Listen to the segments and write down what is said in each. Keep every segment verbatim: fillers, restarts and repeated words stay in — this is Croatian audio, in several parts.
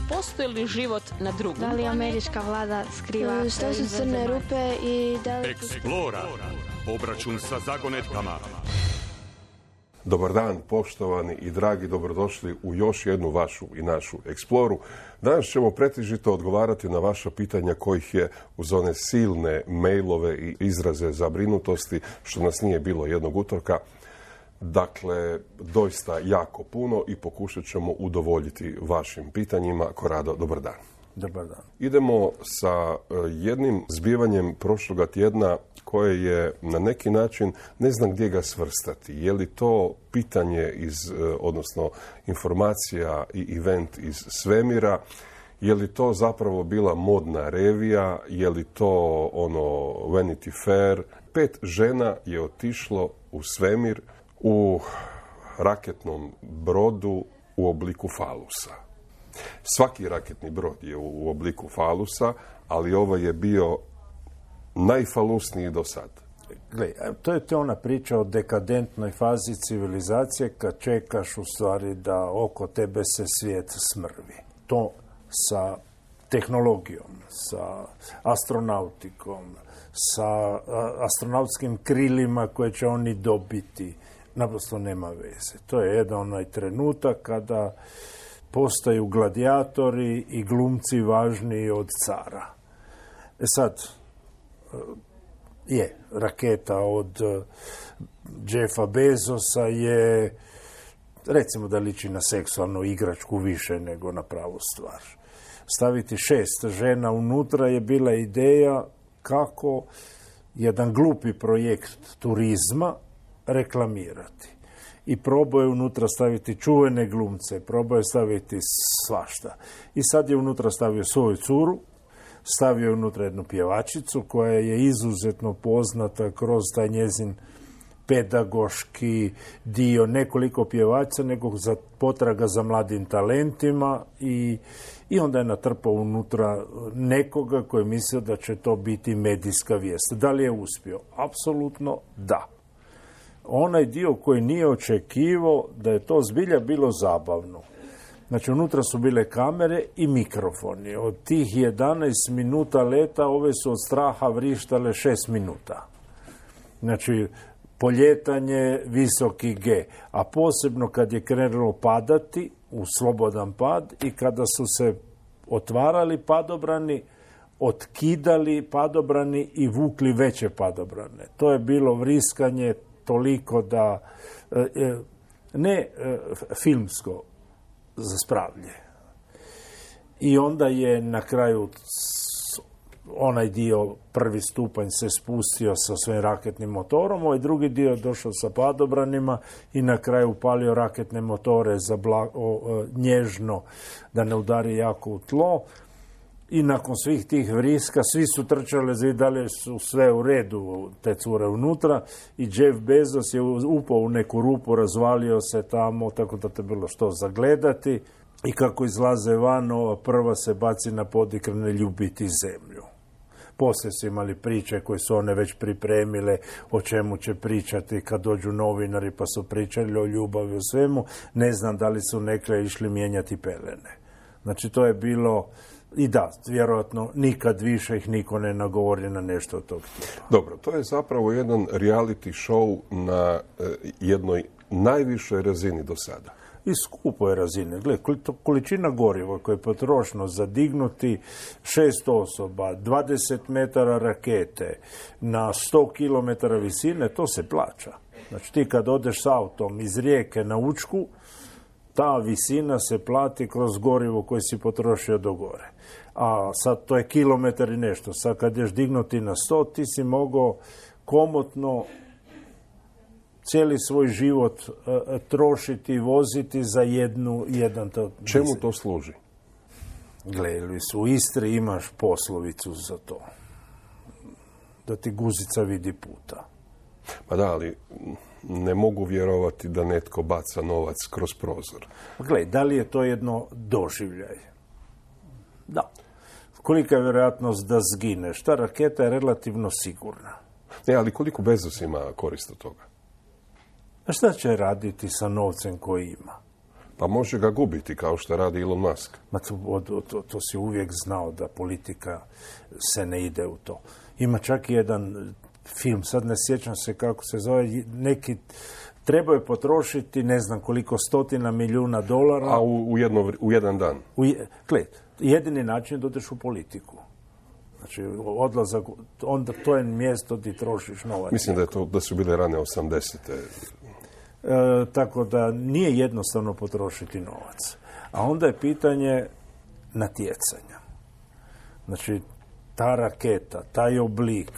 postoji li život na drugom Da li američka vlada skriva... Što su crne rupe i da li... Eksplora. Obračun sa zagonetkama. Dobar dan, poštovani i dragi, dobrodošli u još jednu vašu i našu Eksploru. Danas ćemo pretežito odgovarati na vaša pitanja kojih je uz one silne mailove i izraze zabrinutosti, što nas nije bilo jednog utorka. Dakle, doista jako puno i pokušat ćemo udovoljiti vašim pitanjima. Korado, dobar dan. Dobar dan. Idemo sa jednim zbivanjem prošloga tjedna koje je na neki način, ne znam gdje ga svrstati. Je li to pitanje iz, odnosno informacija i event iz svemira? Je li to zapravo bila modna revija? Je li to ono Vanity Fair? Pet žena je otišlo u svemir u raketnom brodu u obliku falusa. Svaki raketni brod je u obliku falusa, ali ovo je bio najfalusniji do sad. Gle, to je to ona priča o dekadentnoj fazi civilizacije kad čekaš u stvari da oko tebe se svijet smrvi. To sa tehnologijom, sa astronautikom, sa astronautskim krilima koje će oni dobiti, naprosto nema veze. To je jedan onaj trenutak kada postaju gladijatori i glumci važniji od cara. E sad, je, raketa od Jeffa Bezosa je, recimo da liči na seksualnu igračku više nego na pravu stvar. Staviti šest žena unutra je bila ideja kako jedan glupi projekt turizma reklamirati. I probao je unutra staviti čuvene glumce, probao je staviti svašta. I sad je unutra stavio svoju curu, stavio je unutra jednu pjevačicu koja je izuzetno poznata kroz taj njezin pedagoški dio, nekoliko pjevača, nego za potraga za mladim talentima i, i onda je natrpao unutra nekoga koji je mislio da će to biti medijska vijest. Da li je uspio? Apsolutno da. Onaj dio koji nije očekivao da je to zbilja bilo zabavno. Znači, unutra su bile kamere i mikrofoni. Od tih jedanaest minuta leta, ove su od straha vrištale šest minuta. Znači, poljetanje, visoki G. A posebno kad je krenulo padati, u slobodan pad, i kada su se otvarali padobrani, otkidali padobrani i vukli veće padobrane. To je bilo vriskanje toliko da, ne filmsko, za spravlje. I onda je na kraju onaj dio, prvi stupanj se spustio sa svojim raketnim motorom, ovaj drugi dio je došao sa padobranima i na kraju upalio raketne motore za bla, o, nježno da ne udari jako u tlo. I nakon svih tih vriska, svi su trčali za dalje, su sve u redu, te cure unutra, i Jeff Bezos je upao u neku rupu, razvalio se tamo, tako da te bilo što zagledati. I kako izlaze van, ova prva se baci na podikrane ljubiti zemlju. Poslije su imali priče koje su one već pripremile, o čemu će pričati kad dođu novinari, pa su pričali o ljubavi, o svemu. Ne znam da li su nekle išli mijenjati pelene. Znači, to je bilo... I da, vjerojatno nikad više ih niko ne nagovori na nešto od tog tipa. Dobro, to je zapravo jedan reality show na e, jednoj najvišoj razini do sada. I skupoj razine. Gle, količina goriva koja je potrošno za dignuti šest osoba, dvadeset metara rakete na sto kilometara visine, to se plaća. Znači, ti kad odeš s autom iz Rijeke na Učku, ta visina se plati kroz gorivo koje si potrošio do gore. A sad to je kilometar i nešto. Sad kad ješ dignuti na sto, ti si mogao komotno cijeli svoj život uh, trošiti i voziti za jednu, jedan... To, čemu to služi? Gledali su, u Istri imaš poslovicu za to. Da ti guzica vidi puta. Pa da, ali ne mogu vjerovati da netko baca novac kroz prozor. Gle, da li je to jedno doživljaj? Da. Kolika je vjerojatnost da zgineš? Ta raketa je relativno sigurna. Ne, ali koliko Bezos ima korist od toga? A šta će raditi sa novcem koji ima? Pa može ga gubiti, kao što radi Elon Musk. Ma to, to, to, to si uvijek znao da politika se ne ide u to. Ima čak i jedan film, sad ne sjećam se kako se zove, neki trebaju potrošiti ne znam koliko stotina milijuna dolara. A u, u, jedno, u jedan dan? U, gled, jedini način da odeš u politiku. Znači, odlazak, onda to je mjesto gdje trošiš novac. Mislim da, je to, da su bile rane osamdesete. E, tako da nije jednostavno potrošiti novac. A onda je pitanje natjecanja. Znači, ta raketa, taj oblik,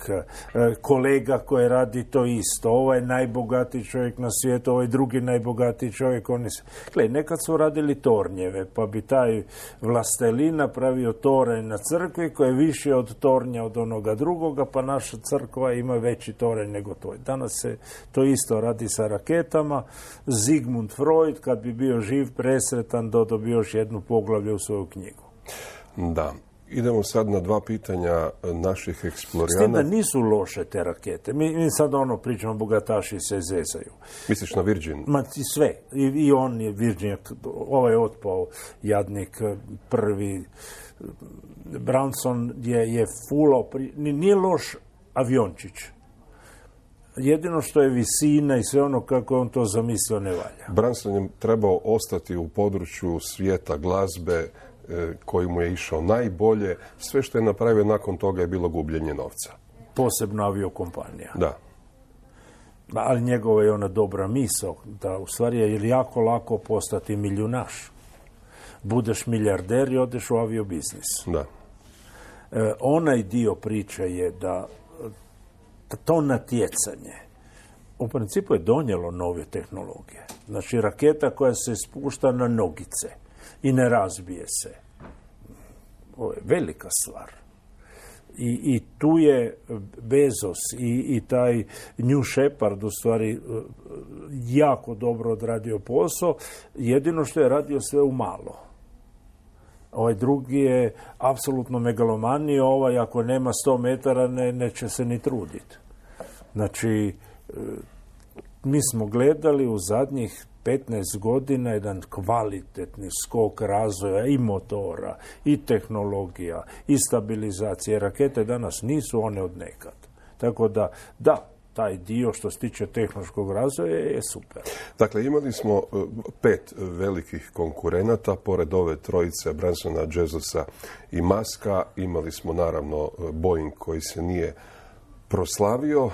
kolega koji radi to isto, ovaj najbogatiji čovjek na svijetu, ovaj drugi najbogatiji čovjek, oni se... Gle, nekad su radili tornjeve, pa bi taj vlastelin napravio toranj na crkvi koji je više od tornja od onoga drugoga, pa naša crkva ima veći toranj nego to. Danas se to isto radi sa raketama. Sigmund Freud, kad bi bio živ, presretan, dodao bi još jednu poglavlje u svoju knjigu. Da. Idemo sad na dva pitanja naših eksplorijana. S tim da nisu loše te rakete. Mi, mi sad ono pričamo, bogataši se zezaju. Misliš na Virgin? Ma sve. I, i on je Virgin, ovaj je otpao jadnik prvi. Branson je, je fulao, nije loš aviončić. Jedino što je visina i sve ono kako je on to zamislio ne valja. Branson je trebao ostati u području svijeta glazbe koji mu je išao najbolje. Sve što je napravio nakon toga je bilo gubljenje novca. Posebno aviokompanija. Da. Ali njegova je ona dobra misao, da u stvari je jako lako postati milijunaš. Budeš milijarder i odeš u aviobiznis. Da. E, onaj dio priče je da to natjecanje u principu je donijelo nove tehnologije. Znači raketa koja se spušta na nogice i ne razbije se. Ovo je velika stvar. I, i tu je Bezos i, i taj New Shepard u stvari jako dobro odradio posao. Jedino što je radio sve u malo. Ovaj drugi je apsolutno megalomanija, ovaj ako nema sto metara ne, neće se ni truditi. Znači, mi smo gledali u zadnjih petnaest godina jedan kvalitetni skok razvoja i motora, i tehnologija, i stabilizacije. Rakete danas nisu one od nekad. Tako da, da, taj dio što se tiče tehnološkog razvoja je super. Dakle, imali smo pet velikih konkurenata, pored ove trojice Bransona, Bezosa i Muska. Imali smo naravno Boeing koji se nije proslavio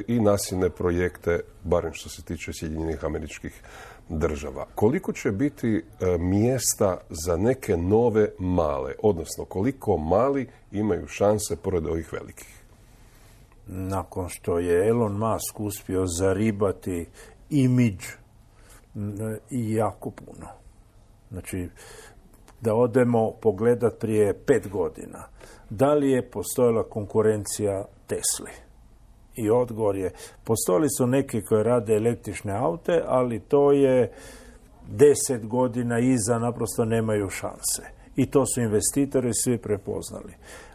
i nasilne projekte, barem što se tiče Sjedinjenih Američkih Država. Koliko će biti mjesta za neke nove male, odnosno koliko mali imaju šanse pored ovih velikih? Nakon što je Elon Musk uspio zaribati imidž i jako puno. Znači, da odemo pogledat prije pet godina. Da li je postojala konkurencija Tesli? I odgovor je, postojali su neki koji rade električne aute, ali to je deset godina iza, naprosto nemaju šanse. I to su investitori svi prepoznali.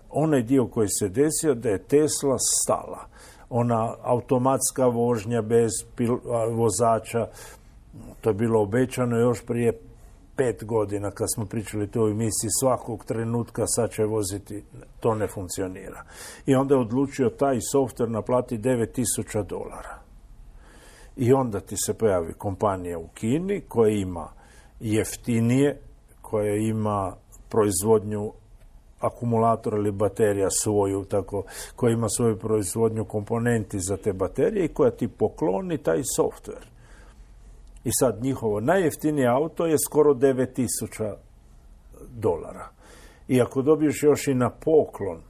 Onaj dio koji se desio da je Tesla stala. Ona automatska vožnja bez pil- vozača, to je bilo obećano još prije pet godina kad smo pričali to u emisiji, svakog trenutka sad će voziti, to ne funkcionira. I onda je odlučio taj softver naplati devet tisuća dolara. I onda ti se pojavi kompanija u Kini koja ima jeftinije, koja ima proizvodnju akumulatora ili baterija svoju, tako, koja ima svoju proizvodnju komponenti za te baterije i koja ti pokloni taj softver. I sad njihovo najjeftinije auto je skoro devet tisuća dolara. I ako dobiješ još i na poklon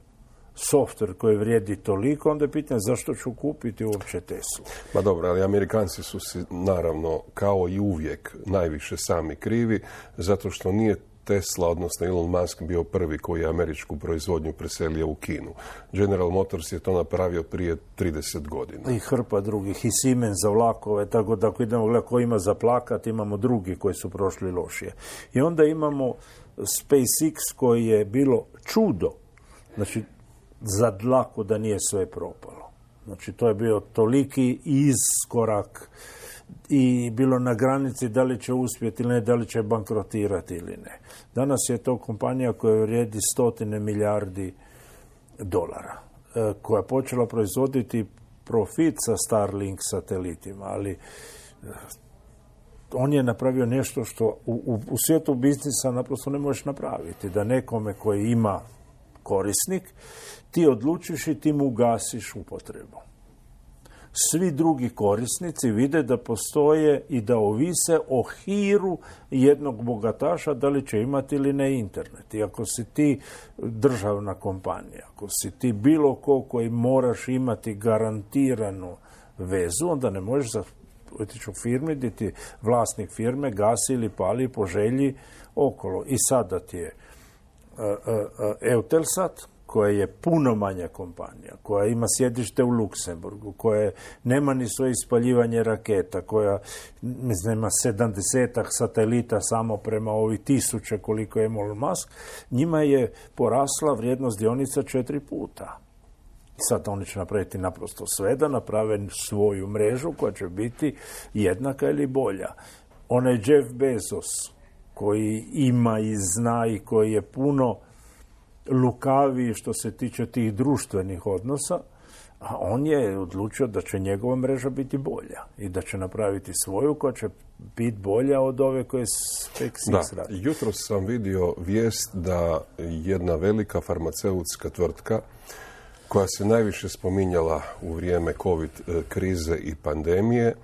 softver koji vrijedi toliko, onda je pitanje zašto ću kupiti uopće Teslu. Ma dobro, ali Amerikanci su si naravno kao i uvijek najviše sami krivi, zato što nije Tesla, odnosno Elon Musk, bio prvi koji je američku proizvodnju preselio u Kinu. General Motors je to napravio prije trideset godina. I hrpa drugih, i Siemens za vlakove, tako da ako idemo gledati ko ima za plakat, imamo drugi koji su prošli lošije. I onda imamo SpaceX koji je bilo čudo, znači za dlaku da nije sve propalo. Znači to je bio toliki iskorak i bilo na granici da li će uspjeti ili ne, da li će bankrotirati ili ne. Danas je to kompanija koja vrijedi stotine milijardi dolara, koja je počela proizvoditi profit sa Starlink satelitima, ali on je napravio nešto što u, u, u svijetu biznisa naprosto ne možeš napraviti. Da nekome koji ima korisnik, ti odlučiš i ti mu ugasiš upotrebu. Svi drugi korisnici vide da postoje i da ovise o hiru jednog bogataša da li će imati ili ne internet. I ako si ti državna kompanija, ako si ti bilo ko koji moraš imati garantiranu vezu, onda ne možeš otići u firmi gdje ti vlasnik firme gasi ili pali po želji okolo. I sada ti je uh, uh, Eutelsat, koja je puno manja kompanija, koja ima sjedište u Luksemburgu, koja nema ni svoje ispaljivanje raketa, koja nema sedamdesetak satelita samo prema ovi tisuće koliko je Elon Musk, njima je porasla vrijednost dionica četiri puta. Sad oni će napraviti naprosto sve da naprave svoju mrežu koja će biti jednaka ili bolja. Onaj Jeff Bezos koji ima i zna i koji je puno lukaviji što se tiče tih društvenih odnosa, a on je odlučio da će njegova mreža biti bolja i da će napraviti svoju koja će biti bolja od ove koje SpaceX radi. Jutros sam vidio vijest da jedna velika farmaceutska tvrtka koja se najviše spominjala u vrijeme COVID krize i pandemije,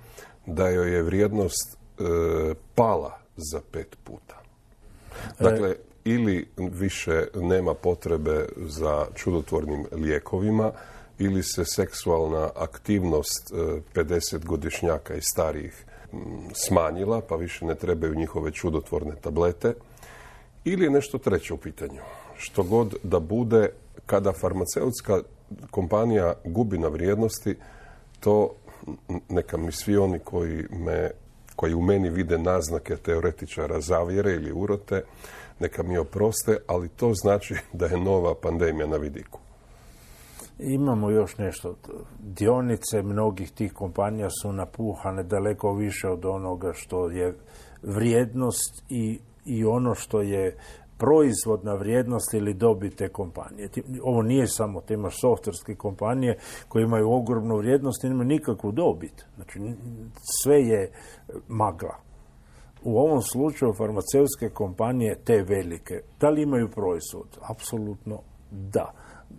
da joj je vrijednost e, pala za pet puta. Dakle, e... ili više nema potrebe za čudotvornim lijekovima, ili se seksualna aktivnost pedesetgodišnjaka i starijih smanjila, pa više ne trebaju njihove čudotvorne tablete, ili je nešto treće u pitanju. Što god da bude, kada farmaceutska kompanija gubi na vrijednosti, to neka mi svi oni koji, me, koji u meni vide naznake teoretičara zavjere ili urote, neka mi oproste, ali to znači da je nova pandemija na vidiku. Imamo još nešto. Dionice mnogih tih kompanija su napuhane daleko više od onoga što je vrijednost i, i ono što je proizvodna vrijednost ili dobit te kompanije. Ovo nije samo, te imaš softverske kompanije koje imaju ogromnu vrijednost i nemaju nikakvu dobit. Znači, sve je magla. U ovom slučaju farmaceutske kompanije, te velike, da li imaju proizvod? Apsolutno da.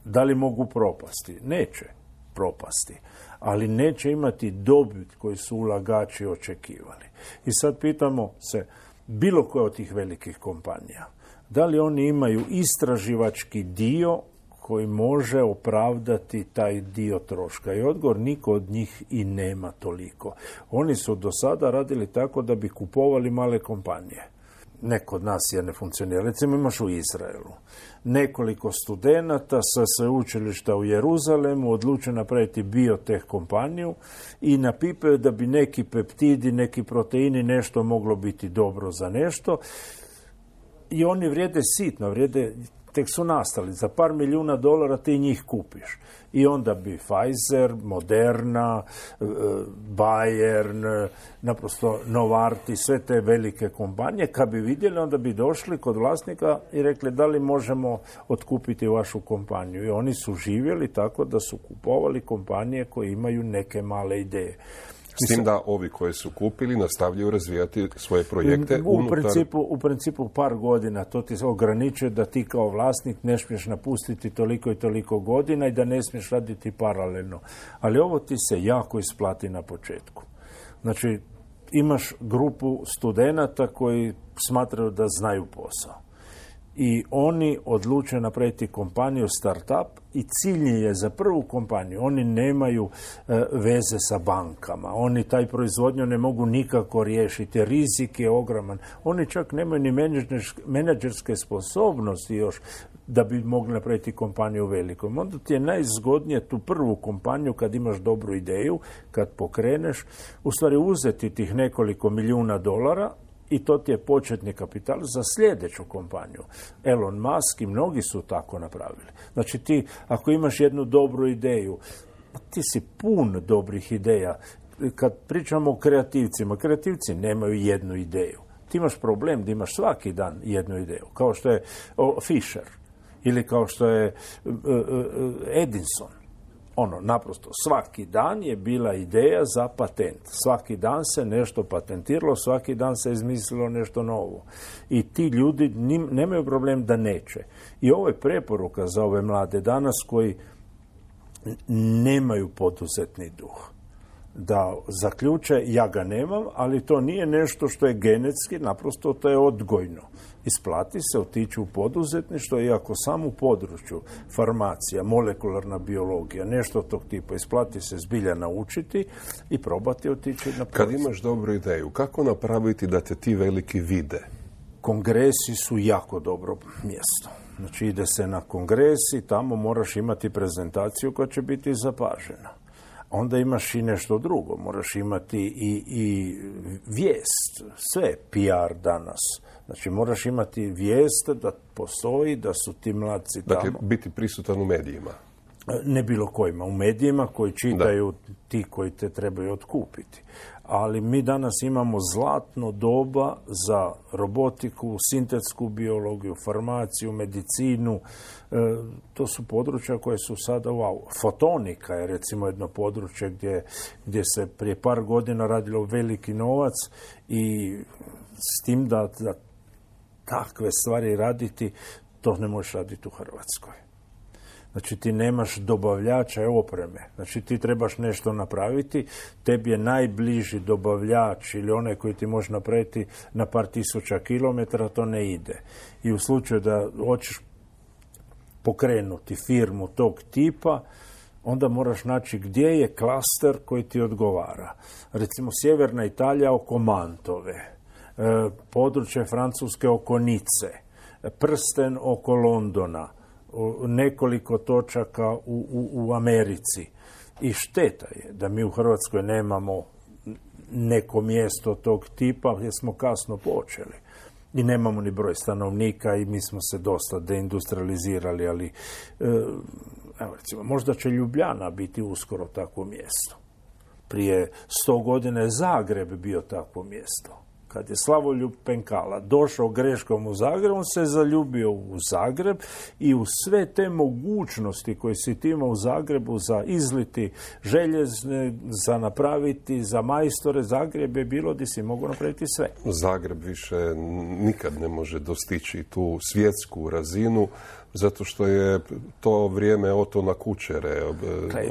Da li mogu propasti? Neće propasti. Ali neće imati dobit koji su ulagači očekivali. I sad pitamo se, bilo koje od tih velikih kompanija, da li oni imaju istraživački dio koji može opravdati taj dio troška? I odgovor, niko od njih i nema toliko. Oni su do sada radili tako da bi kupovali male kompanije. Neko od nas je ne funkcionira. Recimo imaš u Izraelu nekoliko studenata sa sveučilišta u Jeruzalemu odluče napraviti bioteh kompaniju i napipaju da bi neki peptidi, neki proteini, nešto moglo biti dobro za nešto. I oni vrijede sitno, vrijede, tek su nastali. Za par milijuna dolara ti njih kupiš. I onda bi Pfizer, Moderna, Bayern, naprosto Novartis, sve te velike kompanije, kad bi vidjeli, onda bi došli kod vlasnika i rekli da li možemo otkupiti vašu kompaniju. I oni su živjeli tako da su kupovali kompanije koje imaju neke male ideje. S tim da ovi koji su kupili nastavljaju razvijati svoje projekte u unutar... Principu, u principu par godina to ti se ograničuje da ti kao vlasnik ne smiješ napustiti toliko i toliko godina i da ne smiješ raditi paralelno. Ali ovo ti se jako isplati na početku. Znači, imaš grupu studenata koji smatraju da znaju posao. I oni odluče napraviti kompaniju startup i cilj je za prvu kompaniju. Oni nemaju e, veze sa bankama. Oni taj proizvodnju ne mogu nikako riješiti. Rizik je ogroman. Oni čak nemaju ni menadžerske sposobnosti još da bi mogli napraviti kompaniju velikom. Onda ti je najzgodnije tu prvu kompaniju kad imaš dobru ideju, kad pokreneš, u stvari uzeti tih nekoliko milijuna dolara i to ti je početni kapital za sljedeću kompaniju. Elon Musk i mnogi su tako napravili. Znači ti, ako imaš jednu dobru ideju, ti si pun dobrih ideja. kad pričamo o kreativcima, kreativci nemaju jednu ideju. Ti imaš problem da imaš svaki dan jednu ideju, kao što je o, Fisher ili kao što je uh, uh, Edison. Ono, naprosto, svaki dan je bila ideja za patent. Svaki dan se nešto patentiralo, svaki dan se izmislilo nešto novo. I ti ljudi nim, nemaju problem da neće. I ovo je preporuka za ove mlade danas koji nemaju poduzetni duh. Da zaključe, ja ga nemam, ali to nije nešto što je genetski, naprosto to je odgojno. Isplati se otići u poduzetništvo, iako sam u području farmacija, molekularna biologija, nešto tog tipa, isplati se zbilja naučiti i probati otići na Kad imaš dobru ideju, kako napraviti da te ti veliki vide? Kongresi su jako dobro mjesto. Znači ide se na kongres i tamo moraš imati prezentaciju koja će biti zapažena. Onda imaš i nešto drugo, moraš imati i, i vijest, sve P R danas. Znači moraš imati vijest da postoji, da su ti mladci tamo. Dakle, biti prisutan u medijima. Ne bilo kojima, u medijima koji čitaju da. Ti koji te trebaju otkupiti. Ali mi danas imamo zlatno doba za robotiku, sintetsku biologiju, farmaciju, medicinu. E, to su područja koje su sada, wow, fotonika je recimo jedno područje gdje, gdje se prije par godina radilo veliki novac i s tim da, da takve stvari raditi, to ne možeš raditi u Hrvatskoj. Znači ti nemaš dobavljača opreme, znači ti trebaš nešto napraviti, tebi je najbliži dobavljač ili onaj koji ti može napraviti na par tisuća kilometara, to ne ide. I u slučaju da hoćeš pokrenuti firmu tog tipa, onda moraš naći gdje je klaster koji ti odgovara. Recimo sjeverna Italija oko Mantove, područje Francuske oko Nice, prsten oko Londona, nekoliko točaka u, u, u Americi. I šteta je da mi u Hrvatskoj nemamo neko mjesto tog tipa jer smo kasno počeli. I nemamo ni broj stanovnika i mi smo se dosta deindustrializirali, ali evo recimo, možda će Ljubljana biti uskoro takvo mjesto. Prije sto godina je Zagreb bio takvo mjesto. Kad je Slavoljub Penkala došao greškom u Zagreb, on se zaljubio u Zagreb i u sve te mogućnosti koje si ti imao u Zagrebu za izliti željezne, za napraviti, za majstore, Zagreb je bilo gdje si mogu napraviti sve. Zagreb više nikad ne može dostići tu svjetsku razinu, zato što je to vrijeme Otona Kučere. Kaj,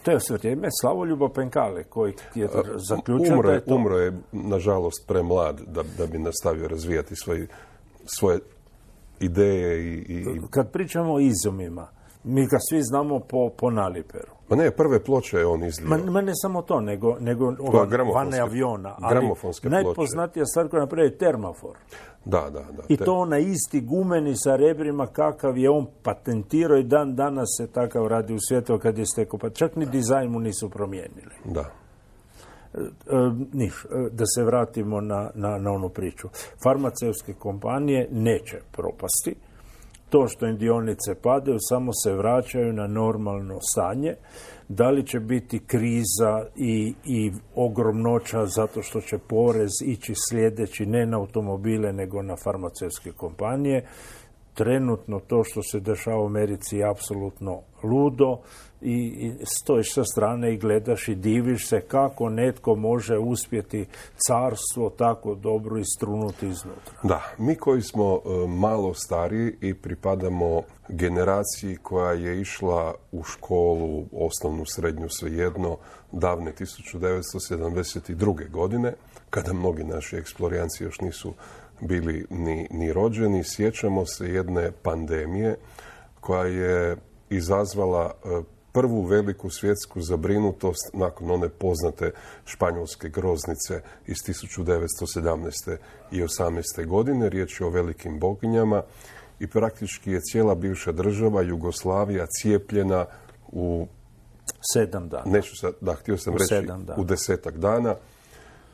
to je sve vrijeme Slavoljuba Penkale koji je zaključio umro, da je to... Umro je, nažalost, premlad da, da bi nastavio razvijati svoje, svoje ideje. I, i... Kad pričamo o izumima, mi ga svi znamo po, po naliperu. Ma ne, prve ploče je on izlio. Ma, ma ne samo to, nego, nego vane aviona. Ali najpoznatija stvar koja napravi je termofor. Da, da, da. I to onaj isti gumeni sa rebrima kakav je on patentirao i dan danas se takav radi u svijetu kad je stekao. Pa čak ni dizajn mu nisu promijenili. Da. E, e, niš, e, da se vratimo na, na, na onu priču. Farmaceutske kompanije neće propasti. To što im dionice padaju, samo se vraćaju na normalno stanje. Da li će biti kriza i, i ogromnoća zato što će porez ići sljedeći ne na automobile nego na farmaceutske kompanije. Trenutno to što se dešava u Americi je apsolutno ludo i, i stojiš sa strane i gledaš i diviš se kako netko može uspjeti carstvo tako dobro istrunuti iznutra. Da, mi koji smo uh, malo stariji i pripadamo generaciji koja je išla u školu, osnovnu, srednju, svejedno, davne tisuću devetsto sedamdeset druge. godine, kada mnogi naši eksplorijanci još nisu bili ni, ni rođeni, sjećamo se jedne pandemije koja je izazvala prvu veliku svjetsku zabrinutost nakon one poznate španjolske groznice iz tisuću devetsto sedamnaeste i osamnaeste. godine. Riječ je o velikim boginjama i praktički je cijela bivša država Jugoslavija cijepljena u sedam dana. Neću sad, da, htio sam u reći u desetak dana.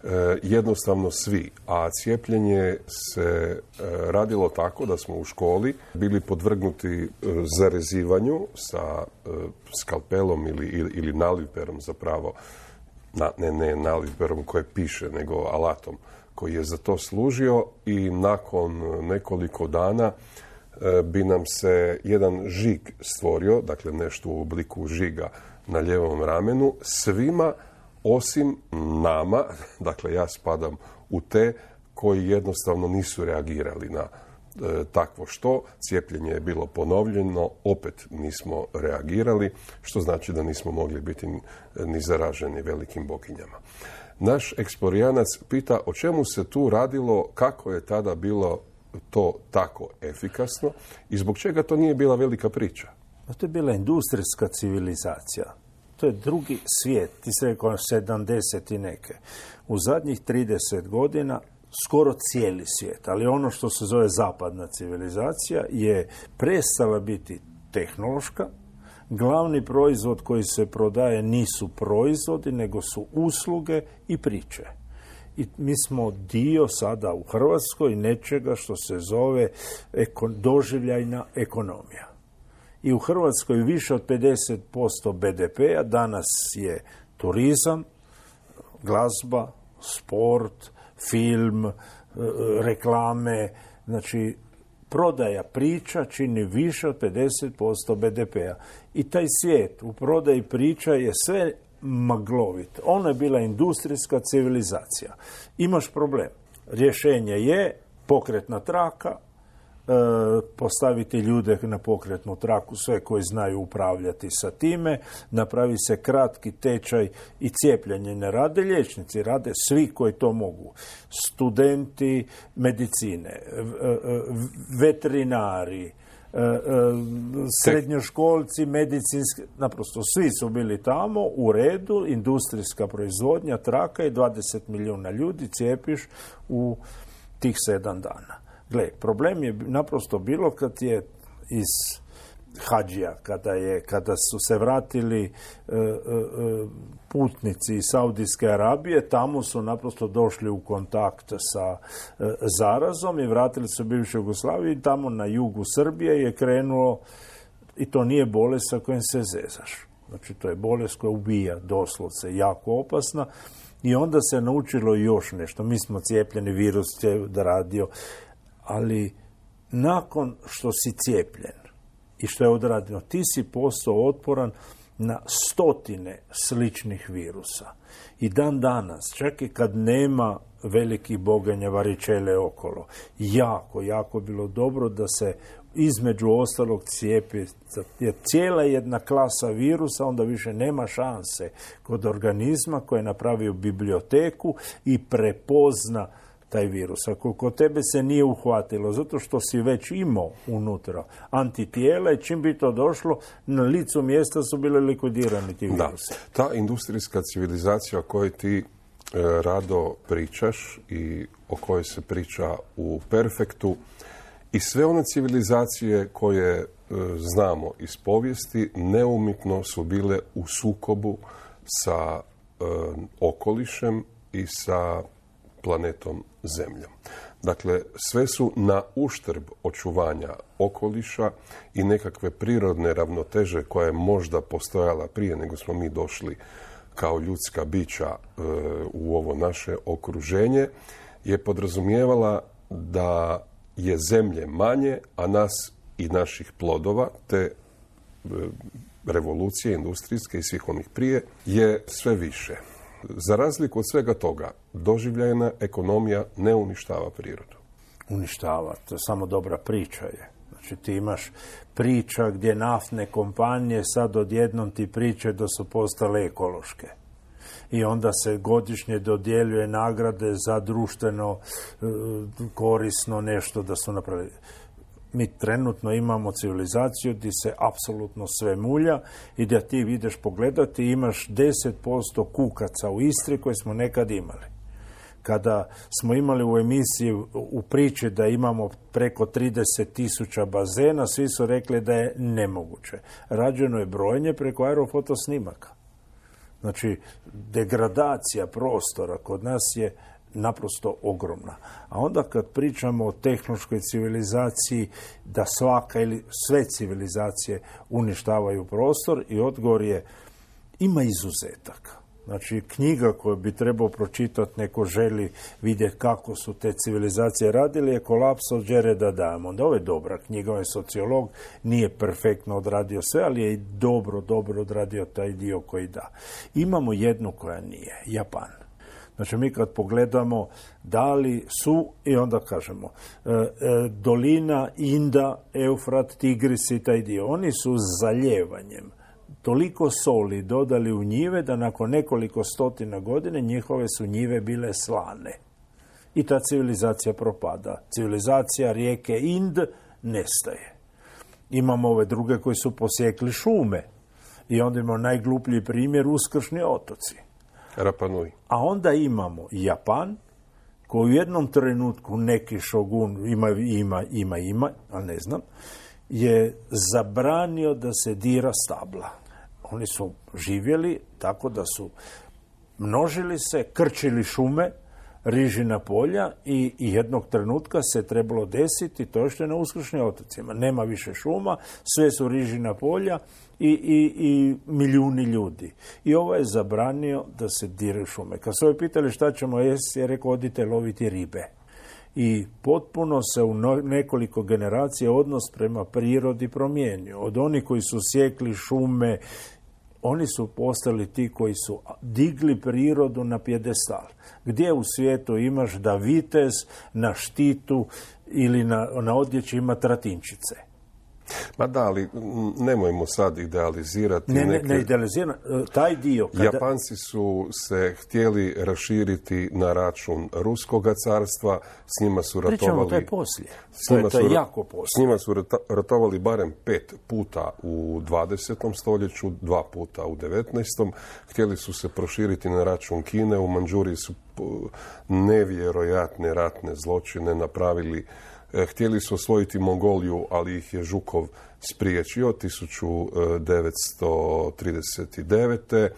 E, jednostavno svi, a cijepljenje se e, radilo tako da smo u školi bili podvrgnuti e, zarezivanju sa e, skalpelom ili, ili, ili naliperom zapravo na, ne, ne nalivberom koje piše, nego alatom koji je za to služio i nakon nekoliko dana e, bi nam se jedan žig stvorio, dakle nešto u obliku žiga na lijevom ramenu, svima osim nama, dakle ja spadam u te koji jednostavno nisu reagirali na e, takvo što. Cijepljenje je bilo ponovljeno, opet nismo reagirali, što znači da nismo mogli biti ni, ni zaraženi velikim boginjama. Naš eksplorijanac pita o čemu se tu radilo, kako je tada bilo to tako efikasno i zbog čega to nije bila velika priča. To je bila industrijska civilizacija. To je drugi svijet, ti se rekao sedamdeset i neke. U zadnjih trideset godina skoro cijeli svijet, ali ono što se zove zapadna civilizacija je prestala biti tehnološka. Glavni proizvod koji se prodaje nisu proizvodi, nego su usluge i priče. I mi smo dio sada u Hrvatskoj nečega što se zove eko, doživljajna ekonomija. I u Hrvatskoj više od pedeset posto be de pea danas je turizam, glazba, sport, film, reklame, znači prodaja priča čini više od pedeset posto be de pea. I taj svijet u prodaji priča je sve maglovit. Ono je bila industrijska civilizacija. Imaš problem. Rješenje je pokretna traka, postaviti ljude na pokretnu traku, sve koji znaju upravljati sa time, napravi se kratki tečaj i cijepljenje ne rade liječnici, rade svi koji to mogu. Studenti medicine, veterinari, srednjoškolci, medicinski, naprosto svi su bili tamo u redu, industrijska proizvodnja, traka i dvadeset milijuna ljudi cijepiš u tih sedam dana. Gle, problem je naprosto bilo kad je iz Hadžija, kada, je, kada su se vratili e, e, putnici iz Saudijske Arabije, tamo su naprosto došli u kontakt sa e, zarazom i vratili se u bivšu Jugoslaviju i tamo na jugu Srbije je krenulo, i to nije bolest sa kojom se zezaš. Znači, to je bolest koja ubija doslovce, jako opasna. I onda se naučilo još nešto. Mi smo cijepljeni, virus je radio, ali nakon što si cijepljen i što je odrađeno, ti si postao otporan na stotine sličnih virusa. I dan danas, čak i kad nema velikih boganja varičele okolo, jako, jako bilo dobro da se između ostalog cijepi, jer cijela jedna klasa virusa onda više nema šanse kod organizma koji je napravio biblioteku i prepozna taj virus. Ako kod tebe se nije uhvatilo, zato što si već imao unutra antitijela i čim bi to došlo, na licu mjesta su bile likvidirani ti virusi. Da, ta industrijska civilizacija o kojoj ti e, rado pričaš i o kojoj se priča u Perfektu i sve one civilizacije koje e, znamo iz povijesti neumitno su bile u sukobu sa e, okolišem i sa planetom Zemljom. Dakle, sve su na uštrb očuvanja okoliša i nekakve prirodne ravnoteže koja je možda postojala prije nego smo mi došli kao ljudska bića e, u ovo naše okruženje, je podrazumijevala da je zemlje manje, a nas i naših plodova, te e, revolucije industrijske i svih onih prije, je sve više. Za razliku od svega toga, doživljajna ekonomija ne uništava prirodu. Uništava, to je samo dobra priča je. Znači ti imaš priča gdje naftne kompanije sad odjednom ti priče da su postale ekološke. I onda se godišnje dodjeljuje nagrade za društveno korisno nešto da su napravili. Mi trenutno imamo civilizaciju gdje se apsolutno sve mulja i da ti ideš pogledati imaš deset posto kukaca u Istri koje smo nekad imali. Kada smo imali u emisiji u priči da imamo preko trideset tisuća bazena, svi su rekli da je nemoguće. Rađeno je brojenje preko aerofotosnimaka. Znači, degradacija prostora kod nas je naprosto ogromna. A onda kad pričamo o tehnološkoj civilizaciji, da svaka ili sve civilizacije uništavaju prostor, i odgovor je ima izuzetaka. Znači, knjiga koju bi trebao pročitati neko želi vidjeti kako su te civilizacije radili je Kolaps od Jareda Diamonda. Ovo je dobra knjiga, on je sociolog, nije perfektno odradio sve, ali je i dobro, dobro odradio taj dio koji da. Imamo jednu koja nije, Japan. Znači, mi kad pogledamo da li su, i onda kažemo, e, e, dolina, Inda, Eufrat, Tigris i taj dio, oni su zaljevanjem toliko soli dodali u njive da nakon nekoliko stotina godine njihove su njive bile slane. I ta civilizacija propada. Civilizacija rijeke Ind nestaje. Imamo ove druge koji su posjekli šume. I onda imamo najgluplji primjer, Uskršnji otoci. Rapa Nui. A onda imamo Japan, koji u jednom trenutku neki šogun, ima, ima, ima, ima, ali ne znam, je zabranio da se dira stabla. Oni su živjeli tako da su množili se, krčili šume, rižina polja i, i jednog trenutka se trebalo desiti to što je na Uskršnjim otocima. Nema više šuma, sve su rižina polja i, i, i milijuni ljudi. I ovo je zabranio da se diraju šume. Kad su ovi pitali šta ćemo jesti, je rekao odite loviti ribe. I potpuno se u nekoliko generacija odnos prema prirodi promijenio. Od onih koji su sjekli šume, oni su postali ti koji su digli prirodu na pjedestal. Gdje u svijetu imaš da vitez na štitu ili na, na odjeći ima tratinčice? Ma da, ali nemojmo sad idealizirati. Ne, neke... ne, ne idealizirati. Taj dio... Kada... Japanci su se htjeli raširiti na račun Ruskoga carstva, s njima su ratovali... Pričamo, to je poslije. To je, to je jako poslije. S njima su ratovali barem pet puta u dvadesetom stoljeću, dva puta u devetnaestom. Htjeli su se proširiti na račun Kine. U Mandžuriji su nevjerojatne ratne zločine napravili. Htjeli su osvojiti Mongoliju, ali ih je Žukov spriječio tisuću devetsto trideset devete.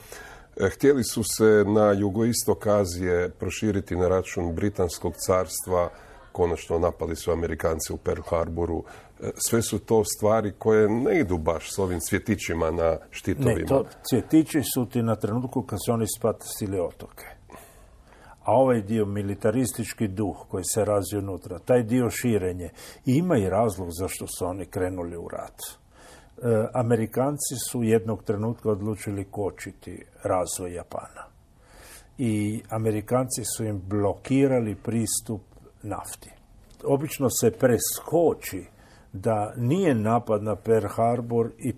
Htjeli su se na jugoistok Azije proširiti na račun Britanskog carstva. Konačno napali su Amerikanci u Pearl Harboru. Sve su to stvari koje ne idu baš s ovim cvjetićima na štitovima. Ne, to cvjetići su ti na trenutku kad su oni spatili otoke. A ovaj dio, militaristički duh koji se razvio unutra, taj dio širenje, ima i razlog zašto su oni krenuli u rat. E, Amerikanci su jednog trenutka odlučili kočiti razvoj Japana. I Amerikanci su im blokirali pristup nafti. Obično se preskoči da nije napad na Pearl Harbor i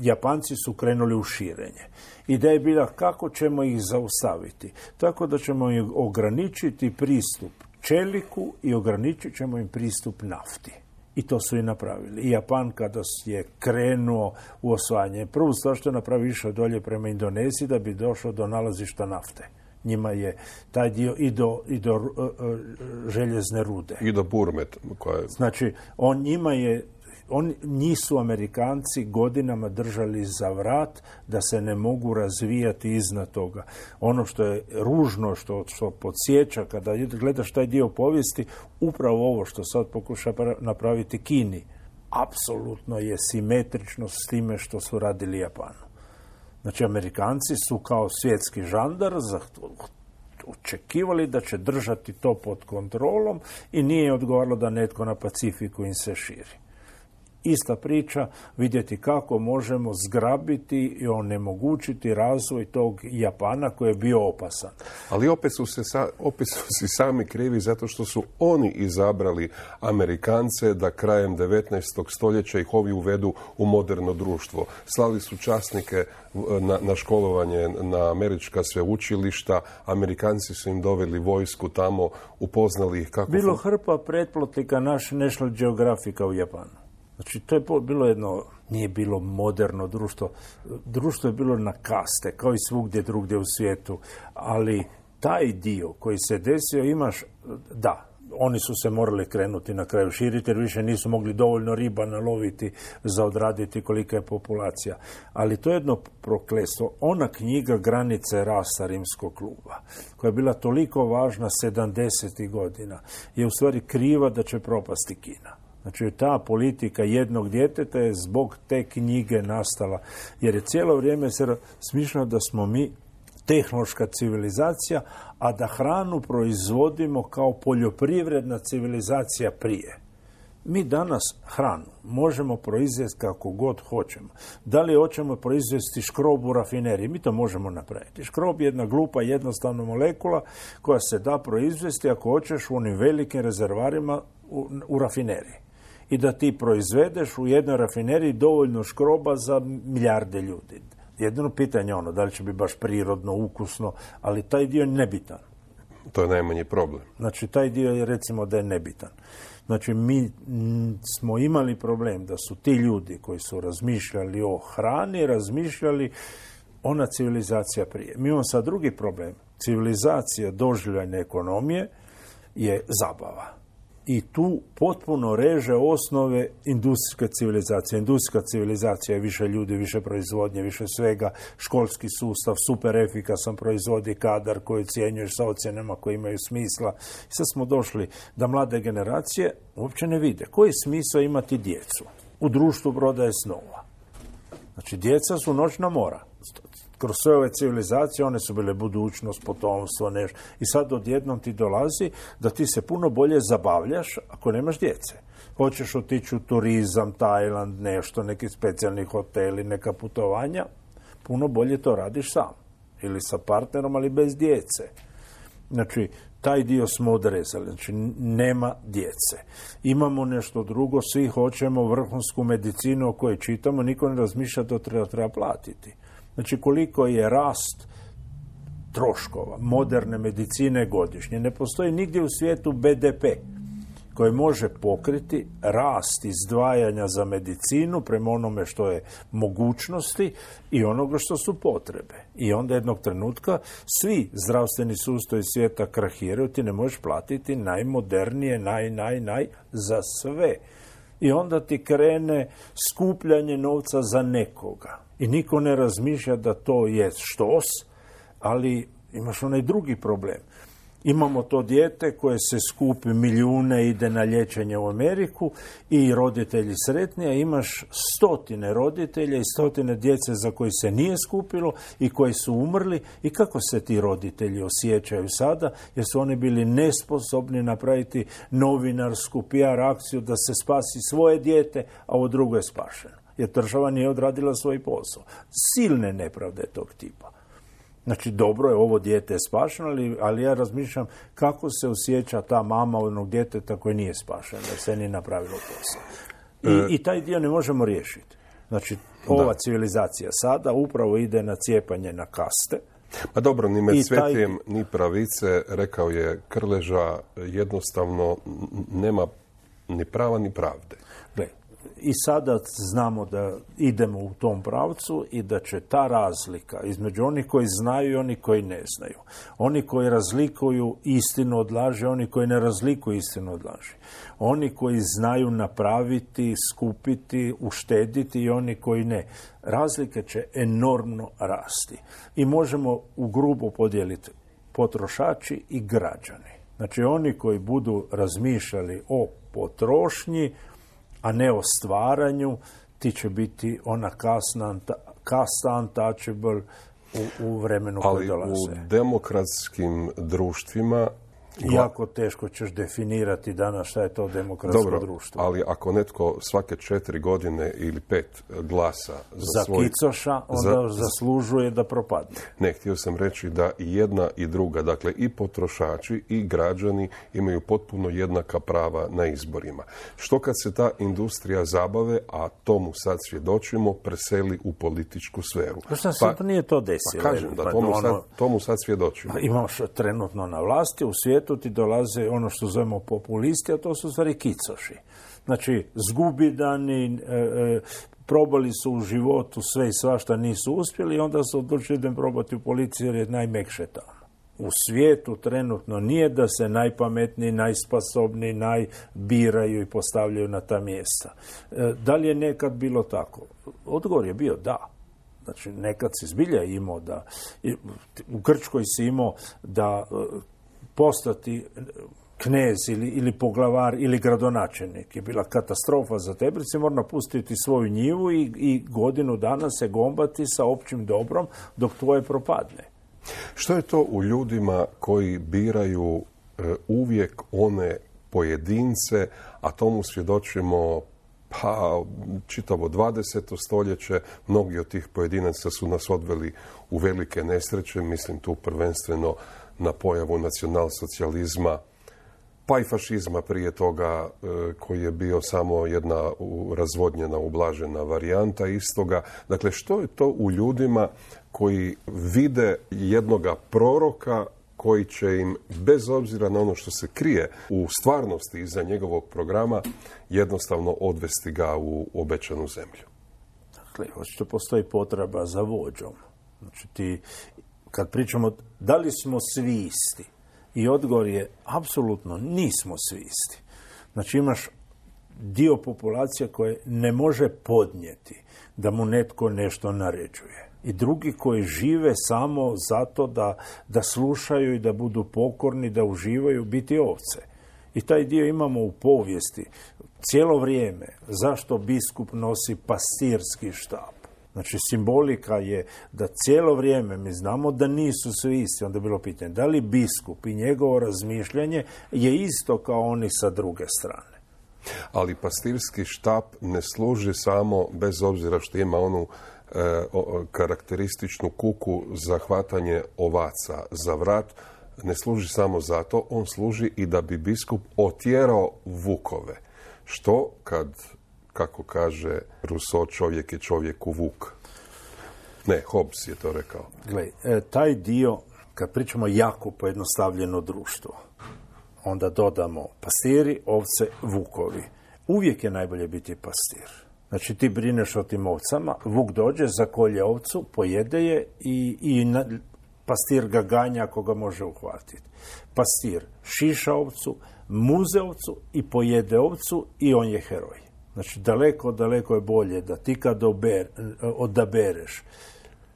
Japanci su krenuli u širenje. Ideja je bila kako ćemo ih zaustaviti. Tako da ćemo im ograničiti pristup čeliku i ograničit ćemo im pristup nafti. I to su i napravili. I Japan kada je krenuo u osvajanje, prvu stvar što je napravio išao dolje prema Indoneziji da bi došao do nalazišta nafte. Njima je taj dio i do, i do uh, uh, željezne rude. I do Burme. Koja je... Znači, on njima je On, njih su Amerikanci godinama držali za vrat da se ne mogu razvijati iznad toga. Ono što je ružno, što, što podsjeća kada gledaš taj dio povijesti, upravo ovo što sad pokuša napraviti Kini, apsolutno je simetrično s time što su radili Japanu. Znači, Amerikanci su kao svjetski žandar očekivali da će držati to pod kontrolom i nije odgovaralo da netko na Pacifiku im se širi. Ista priča, vidjeti kako možemo zgrabiti i onemogućiti razvoj tog Japana koji je bio opasan. Ali opet su se sa, opet su si sami krivi zato što su oni izabrali Amerikance da krajem devetnaestog stoljeća ih ovi uvedu u moderno društvo. Slali su časnike na, na školovanje na američka sveučilišta, Amerikanci su im doveli vojsku tamo, upoznali ih kako... Bilo hrpa pretplatnika naš National Geographica u Japanu. Znači, to je bilo jedno, nije bilo moderno društvo. Društvo je bilo na kaste, kao i svugdje drugdje u svijetu. Ali taj dio koji se desio imaš, da, oni su se morali krenuti na kraju širiti, jer više nisu mogli dovoljno riba naloviti za odraditi kolika je populacija. Ali to je jedno prokletstvo. Ona knjiga Granice rasa Rimskog kluba, koja je bila toliko važna sedamdesetih godina, je u stvari kriva da će propasti Kina. Znači, ta politika jednog djeteta je zbog te knjige nastala. Jer je cijelo vrijeme se smišljeno da smo mi tehnološka civilizacija, a da hranu proizvodimo kao poljoprivredna civilizacija prije. Mi danas hranu možemo proizvesti kako god hoćemo. Da li hoćemo proizvesti škrob u rafineriji? Mi to možemo napraviti. Škrob je jedna glupa, jednostavna molekula koja se da proizvesti ako hoćeš u onim velikim rezervarima u, u rafineriji. I da ti proizvedeš u jednoj rafineriji dovoljno škroba za milijarde ljudi. Jedino pitanje je ono, da li će biti baš prirodno, ukusno, ali taj dio je nebitan. To je najmanji problem. Znači, taj dio je, recimo, da je nebitan. Znači, mi m, smo imali problem da su ti ljudi koji su razmišljali o hrani, razmišljali ona civilizacija prije. Mi imamo sad drugi problem. Civilizacija doživljajne ekonomije je zabava. I tu potpuno reže osnove industrijske civilizacije. Industrijska civilizacija je više ljudi, više proizvodnje, više svega, školski sustav, super efikasan proizvodi kadar koji ocjenjuješ sa ocjenama koji imaju smisla. I sad smo došli da mlade generacije uopće ne vide koji je smisao imati djecu u društvu prodaje snova. Znači, djeca su noćna mora. Kroz sve ove civilizacije one su bile budućnost, potomstvo, nešto. I sad odjednom ti dolazi da ti se puno bolje zabavljaš ako nemaš djece. Hoćeš otići u turizam, Tajland, nešto, neki specijalni hoteli, neka putovanja, puno bolje to radiš sam. Ili sa partnerom, ali bez djece. Znači, taj dio smo odrezali. Znači, nema djece. Imamo nešto drugo, svi hoćemo vrhunsku medicinu o kojoj čitamo, niko ne razmišlja da treba, treba platiti. Znači, koliko je rast troškova moderne medicine godišnje. Ne postoji nigdje u svijetu be de pe koji može pokriti rast izdvajanja za medicinu prema onome što je mogućnosti i onoga što su potrebe. I onda jednog trenutka svi zdravstveni sustavi svijeta krahiraju, ti ne možeš platiti najmodernije, naj, naj, naj za sve. I onda ti krene skupljanje novca za nekoga. I niko ne razmišlja da to je štos, ali imaš onaj drugi problem. Imamo to dijete koje se skupi milijune, ide na liječenje u Ameriku i roditelji sretni, a imaš stotine roditelja i stotine djece za koji se nije skupilo i koji su umrli. I kako se ti roditelji osjećaju sada? Jer su oni bili nesposobni napraviti novinarsku pe er akciju da se spasi svoje dijete, a ovo drugo je spašeno. Jer država nije odradila svoj posao. Silne nepravde tog tipa. Znači, dobro je, ovo dijete je spašeno, ali, ali ja razmišljam kako se osjeća ta mama onog djeteta koje nije spašeno, da se nije napravilo posao. I, e... I taj dio ne možemo riješiti. Znači, ova da. civilizacija sada upravo ide na cijepanje na kaste. Pa dobro, ni med svetijem, taj... ni pravice, rekao je Krleža, jednostavno nema ni prava ni pravde. Gle, i sada znamo da idemo u tom pravcu i da će ta razlika između onih koji znaju i onih koji ne znaju. Oni koji razlikuju istinu od laži, oni koji ne razlikuju istinu od laži. Oni koji znaju napraviti, skupiti, uštediti i oni koji ne. Razlike će enormno rasti. I možemo u grubo podijeliti potrošači i građani. Znači oni koji budu razmišljali o potrošnji, a ne o stvaranju, ti će biti ona kasna, kasta untouchable u, u vremenu koje dolaze. Ali u demokratskim društvima... Jako teško ćeš definirati danas šta je to demokratsko Dobro, društvo. Ali ako netko svake četiri godine ili pet glasa za, za svoj... kicoša, onda za, zaslužuje da propadne. Ne, htio sam reći da i jedna i druga, dakle i potrošači i građani imaju potpuno jednaka prava na izborima. Što kad se ta industrija zabave, a tomu sad svjedočimo, preseli u političku sferu? Šta se pa, nije to desilo? Pa kažem da tomu, sad, tomu sad svjedočimo. Imaš trenutno na vlasti, u svijetu ti dolaze ono što zovemo populisti, a to su stvari kicoši. Znači, zgubidani, e, e, probali su u životu sve i svašta, nisu uspjeli i onda su odlučili da im probati u policiji jer je najmekše tamo. U svijetu trenutno nije da se najpametniji, najsposobniji, najbiraju i postavljaju na ta mjesta. E, da li je nekad bilo tako? Odgovor je bio da. Znači, nekad si zbilja imao da... U Grčkoj si imao da... postati knez ili, ili poglavar ili gradonačelnik je bila katastrofa za tebe, si mora napustiti svoju njivu i, i godinu dana se gombati sa općim dobrom dok tvoje propadne. Što je to u ljudima koji biraju e, uvijek one pojedince, a tomu svjedočimo pa čitavo dvadeseto stoljeće, mnogi od tih pojedinaca su nas odveli u velike nesreće, mislim tu prvenstveno na pojavu nacionalsocijalizma, pa i fašizma prije toga, koji je bio samo jedna razvodnjena, ublažena varijanta istoga. Dakle, što je to u ljudima koji vide jednoga proroka koji će im, bez obzira na ono što se krije u stvarnosti iza njegovog programa, jednostavno odvesti ga u obećanu zemlju? Dakle, očito postoji potreba za vođom. Znači, ti, kad pričamo da li smo svi isti, i odgovor je apsolutno nismo svi isti. Znači, imaš dio populacije koje ne može podnijeti da mu netko nešto naređuje. I drugi koji žive samo zato da, da slušaju i da budu pokorni, da uživaju biti ovce. I taj dio imamo u povijesti cijelo vrijeme. Zašto biskup nosi pastirski štap? Znači, simbolika je da cijelo vrijeme mi znamo da nisu svi isti. Onda je bilo pitanje, da li biskup i njegovo razmišljanje je isto kao oni sa druge strane? Ali pastirski štap ne služi samo, bez obzira što ima onu e, o, karakterističnu kuku za hvatanje ovaca za vrat, ne služi samo zato, on služi i da bi biskup otjerao vukove. Što kad, kako kaže Rousseau, čovjek je čovjeku vuk. Ne, Hobbes je to rekao. Gle, e, taj dio, kad pričamo jako pojednostavljeno društvo, onda dodamo pastiri, ovce, vukovi. Uvijek je najbolje biti pastir. Znači, ti brineš o tim ovcama, vuk dođe, zakolje ovcu, pojede je i, i na, pastir ga ganja ako ga može uhvatiti. Pastir šiša ovcu, muze ovcu i pojede ovcu i on je heroj. Znači, daleko, daleko je bolje da ti kad ober, odabereš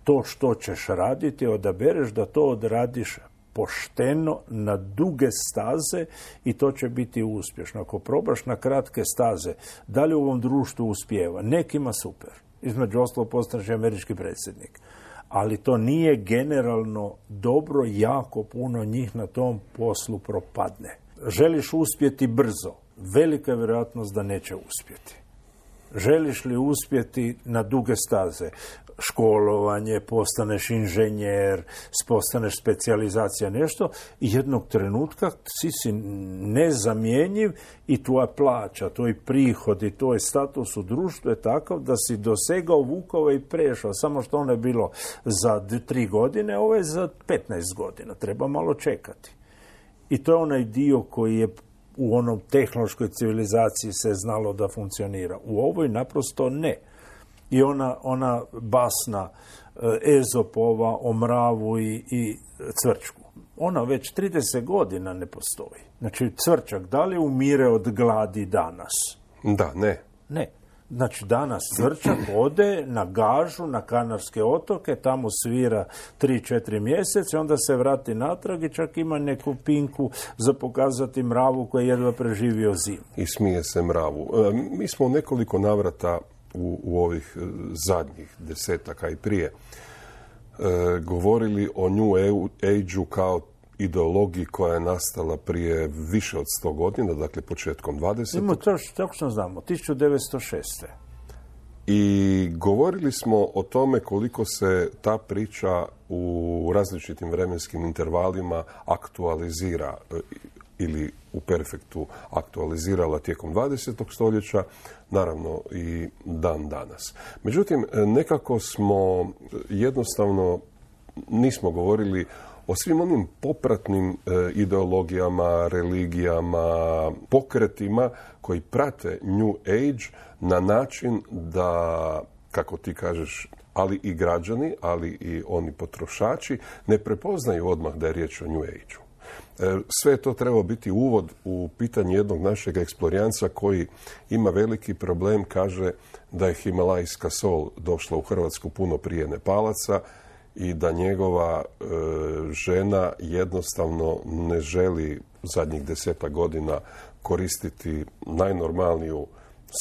to što ćeš raditi, odabereš da to odradiš pošteno na duge staze i to će biti uspješno. Ako probaš na kratke staze, da li u ovom društvu uspijeva? Nekima super. Između ostalog postaneš američki predsjednik. Ali to nije generalno dobro, jako puno njih na tom poslu propadne. Želiš uspjeti brzo, velika je vjerojatnost da neće uspjeti. Želiš li uspjeti na duge staze? Školovanje, postaneš inženjer, postaneš specijalizacija, nešto, i jednog trenutka si si nezamjenjiv i tvoja plaća, tvoj prihod i tvoj status u društvu je takav da si dosegao vukova i prešao. Samo što ono je bilo za tri godine, ovo je za petnaest godina. Treba malo čekati. I to je onaj dio koji je u onom tehnološkoj civilizaciji se znalo da funkcionira. U ovoj naprosto ne. I ona, ona basna Ezopova o mravu i, i cvrčku. Ona već trideset godina ne postoji. Znači, cvrčak, da li umire od gladi danas? Da, ne. Ne. Znači, danas cvrčak ode na gažu, na Kanarske otoke, tamo svira tri četiri mjeseca, onda se vrati natrag i čak ima neku pinku za pokazati mravu koja je jedva preživio zimu. I smije se mravu. E, mi smo nekoliko navrata u, u ovih zadnjih desetaka i prije e, govorili o New Age-u kao ideologiji koja je nastala prije više od sto godina, dakle početkom dvadesetog. Ima to što točno znamo, tisuću devetsto šeste. I govorili smo o tome koliko se ta priča u različitim vremenskim intervalima aktualizira ili u perfektu aktualizirala tijekom dvadesetog stoljeća, naravno i dan danas. Međutim, nekako smo jednostavno nismo govorili o svim onim popratnim e, ideologijama, religijama, pokretima koji prate New Age na način da, kako ti kažeš, ali i građani, ali i oni potrošači ne prepoznaju odmah da je riječ o New Age-u. E, sve to treba biti uvod u pitanje jednog našeg eksplorijanca koji ima veliki problem, kaže da je himalajska sol došla u Hrvatsku puno prije Nepalaca i da njegova e, žena jednostavno ne želi zadnjih desetak godina koristiti najnormalniju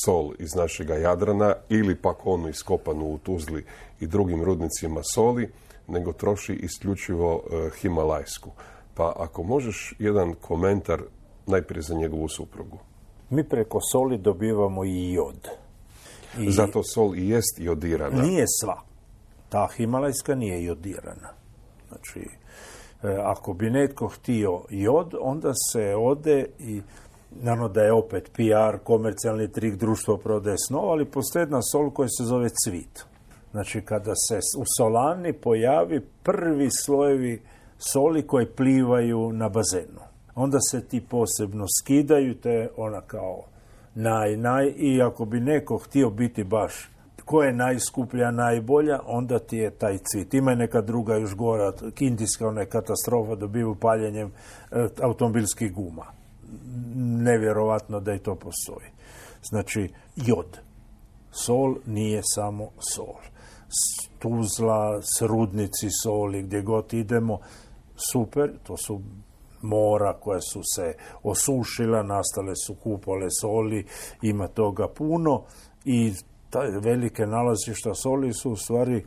sol iz našega Jadrana ili pak onu iskopanu u Tuzli i drugim rudnicima soli, nego troši isključivo uh, himalajsku. Pa ako možeš jedan komentar najprije za njegovu suprugu. Mi preko soli dobivamo i jod. I zato sol i jest jodirana. Nije sva. Ta himalajska nije jodirana. Znači, ako bi netko htio jod, onda se ode i naravno da je opet P R, komercijalni trik, društvo prodaje snov, ali postoji jedna sol koja se zove cvit. Znači, kada se u solani pojavi prvi slojevi soli koje plivaju na bazenu. Onda se ti posebno skidaju, te ona kao naj, naj, i ako bi neko htio biti baš ko je najskuplja, najbolja, onda ti je taj cvit. Ima neka druga još gora, indijska ona je katastrofa, dobiju paljenjem e, automobilskih guma. Nevjerovatno da i to postoji. Znači, jod. Sol nije samo sol. Tuzla, rudnici soli, gdje god idemo, super, to su mora koja su se osušila, nastale su kupole soli, ima toga puno i taj velike nalazišta soli su u stvari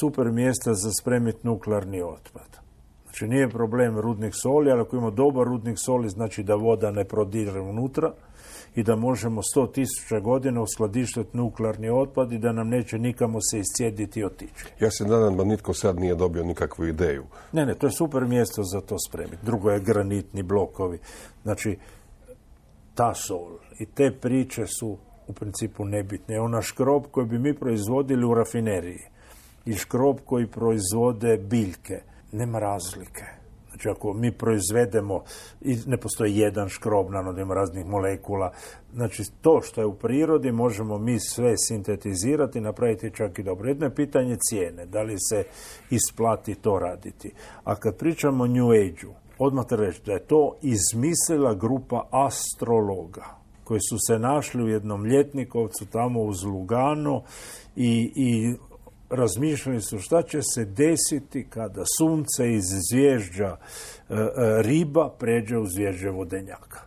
super mjesta za spremiti nuklearni otpad. Znači nije problem rudnik soli, ali ako ima dobar rudnik soli, znači da voda ne prodire unutra i da možemo sto tisuća godina uskladištiti nuklearni otpad i da nam neće nikamo se iscijediti i otići. Ja se nadam da nitko sad nije dobio nikakvu ideju. Ne, ne, to je super mjesto za to spremiti. Drugo je granitni blokovi. Znači, ta sol i te priče su u principu nebitne. Ona škrob koji bi mi proizvodili u rafineriji i škrob koji proizvode biljke, nema razlike. Znači, ako mi proizvedemo, i ne postoji jedan škrob, naravno ima raznih molekula, znači to što je u prirodi možemo mi sve sintetizirati i napraviti čak i dobro. Jedno je pitanje cijene, da li se isplati to raditi. A kad pričamo o New Age-u, odmah treba reći da je to izmislila grupa astrologa koji su se našli u jednom ljetnikovcu tamo uz Lugano i, i razmišljali su šta će se desiti kada sunce iz zvježđa e, e, riba pređe u zvježđe vodenjaka.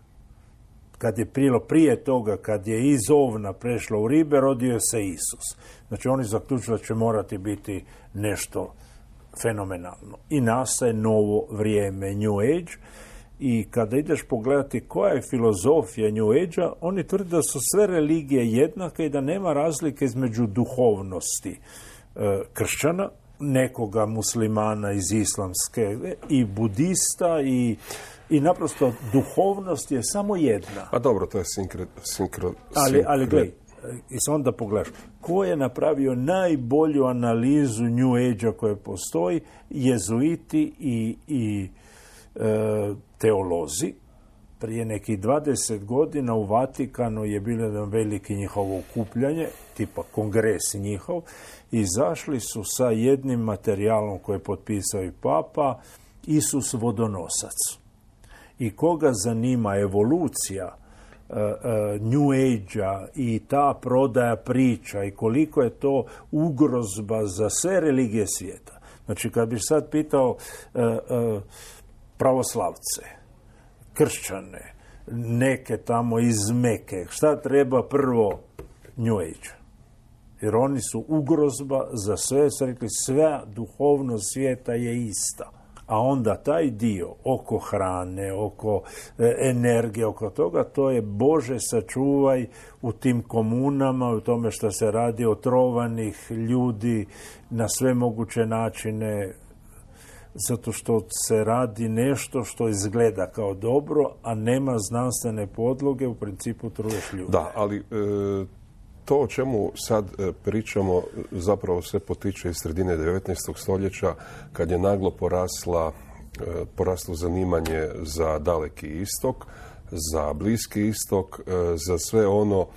Kad je prilo prije toga, kad je iz ovna prešlo u ribe, rodio se Isus. Znači oni zaključili da će morati biti nešto fenomenalno. I nastaje novo vrijeme New Age. I kada ideš pogledati koja je filozofija New Age-a, oni tvrde da su sve religije jednake i da nema razlike između duhovnosti e, kršćana, nekoga muslimana iz islamske i budista i, i naprosto duhovnost je samo jedna. A dobro, to je sinkre... sinkro, ali, ali gledaj, i se onda pogledaš, ko je napravio najbolju analizu New Age-a koja postoji? Jezuiti i, i e, teolozi. Prije nekih dvadeset godina u Vatikanu je bilo jedan veliki njihovo okupljanje, tipa kongres njihov, i izašli su sa jednim materijalom koji je potpisao i Papa, Isus vodonosac. I koga zanima evolucija uh, uh, New Age-a i ta prodaja priča i koliko je to ugrozba za sve religije svijeta. Znači, kad bih sad pitao uh, uh, pravoslavce, kršćane, neke tamo iz Meke, šta treba prvo? New Age. Jer oni su ugrozba za sve, su rekli, sve duhovnost svijeta je ista. A onda taj dio oko hrane, oko e, energije, oko toga, to je Bože sačuvaj u tim komunama, u tome što se radi otrovanih ljudi na sve moguće načine, zato što se radi nešto što izgleda kao dobro, a nema znanstvene podloge, u principu truješ ljudi. Da, ali e, to o čemu sad e, pričamo zapravo sve potiče iz sredine devetnaestog stoljeća, kad je naglo porasla, e, poraslo zanimanje za Daleki istok, za Bliski istok, e, za sve ono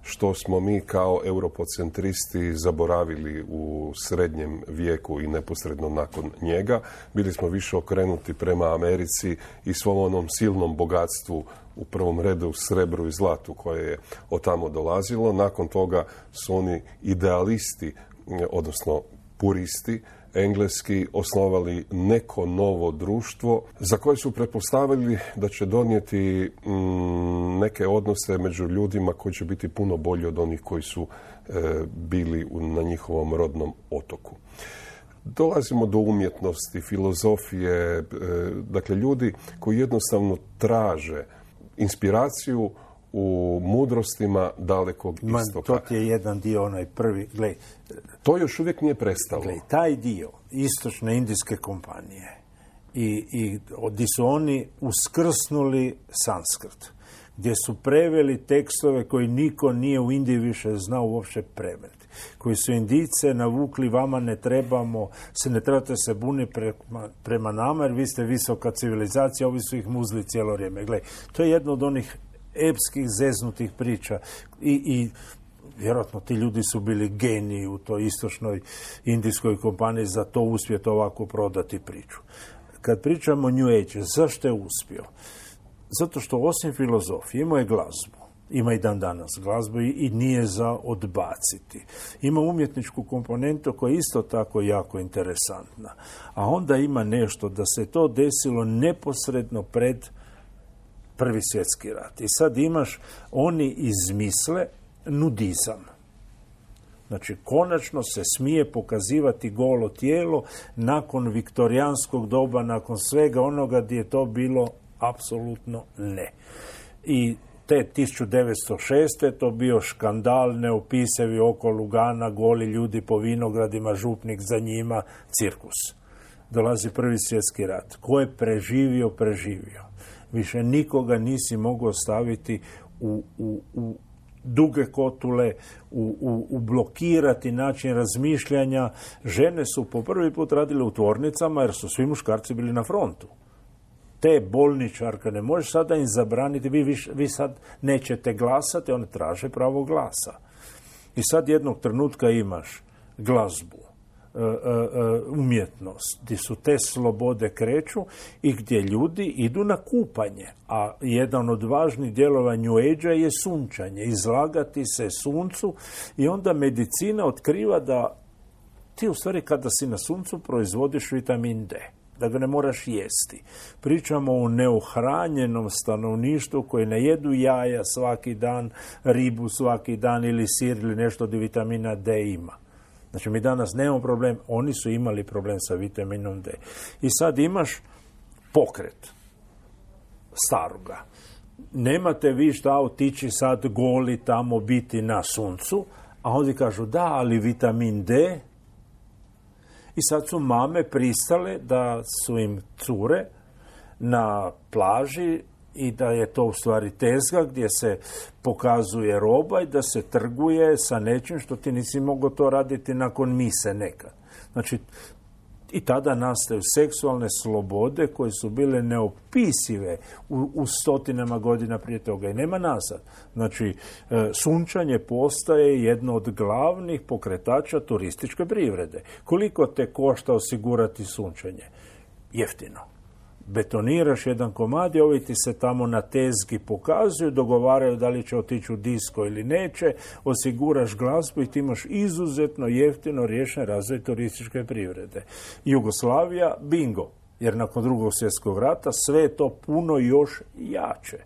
što smo mi kao europocentristi zaboravili u srednjem vijeku i neposredno nakon njega. Bili smo više okrenuti prema Americi i svom onom silnom bogatstvu, u prvom redu srebru i zlatu koje je od tamo dolazilo. Nakon toga su oni idealisti, odnosno puristi, engleski, osnovali neko novo društvo za koje su pretpostavili da će donijeti mm, neke odnose među ljudima koji će biti puno bolji od onih koji su e, bili u, na njihovom rodnom otoku. dolazimo do umjetnosti, filozofije, e, dakle ljudi koji jednostavno traže inspiraciju u mudrostima dalekog istoka. Man, to je jedan dio, onaj prvi, glej, to još uvijek nije prestalo. Glej, taj dio istočne indijske kompanije i, i gdje su oni uskrsnuli sanskrt, gdje su preveli tekstove koji niko nije u Indiji više znao uopće prevesti, koji su Indijce navukli, vama ne trebamo, se ne trebate se buniti prema, prema nama, jer vi ste visoka civilizacija, ovi su ih muzli cijelo vrijeme. Gle, to je jedno od onih epskih, zeznutih priča i, i vjerojatno ti ljudi su bili geniji u toj istočnoj indijskoj kompaniji za to uspjeti ovako prodati priču. Kad pričamo o New Age, zašto je uspio? Zato što osim filozofije imao je glazbu, ima i dan danas glazbu i, i nije za odbaciti. Ima umjetničku komponentu koja je isto tako jako interesantna. A onda ima nešto da se to desilo neposredno pred Prvi svjetski rat. I sad imaš, oni izmisle nudizam. Znači, konačno se smije pokazivati golo tijelo nakon viktorijanskog doba, nakon svega onoga gdje je to bilo apsolutno ne. I te tisuću devetsto šeste to bio škandal, neopisivi oko Lugana, goli ljudi po vinogradima, župnik za njima, cirkus. Dolazi Prvi svjetski rat. Ko je preživio, preživio. Više nikoga nisi mogao staviti u, u, u duge kotule, u, u, u blokirati način razmišljanja. Žene su po prvi put radile u tvornicama jer su svi muškarci bili na frontu. Te bolničarke ne možeš sada im zabraniti, vi, vi, vi sad nećete glasati, one traže pravo glasa. I sad jednog trenutka imaš glazbu, umjetnost, gdje su te slobode kreću i gdje ljudi idu na kupanje. A jedan od važnih dijelova New Age-a je sunčanje, izlagati se suncu i onda medicina otkriva da ti u stvari kada si na suncu proizvodiš vitamin D, da ga ne moraš jesti. Pričamo o neohranjenom stanovništvu koji ne jedu jaja svaki dan, ribu svaki dan ili sir ili nešto od vitamina D ima. Znači, mi danas nemamo problem, oni su imali problem sa vitaminom D. I sad imaš pokret staroga. Nemate vi šta otići sad goli tamo biti na suncu, a oni kažu da, ali vitamin D. I sad su mame pristale da su im cure na plaži i da je to u stvari tezga gdje se pokazuje roba i da se trguje sa nečim što ti nisi mogao to raditi nakon mise nekad. Znači, i tada nastaju seksualne slobode koje su bile neopisive u, u stotinama godina prije toga i nema nazad. Znači, e, sunčanje postaje jedno od glavnih pokretača turističke privrede. Koliko te košta osigurati sunčanje? Jeftino. Betoniraš jedan komad i ovi ti se tamo na tezgi pokazuju, dogovaraju da li će otići u disko ili neće, osiguraš glazbu i ti imaš izuzetno jeftino riješen razvoj turističke privrede. Jugoslavija, bingo, jer nakon Drugog svjetskog rata sve je to puno još jače.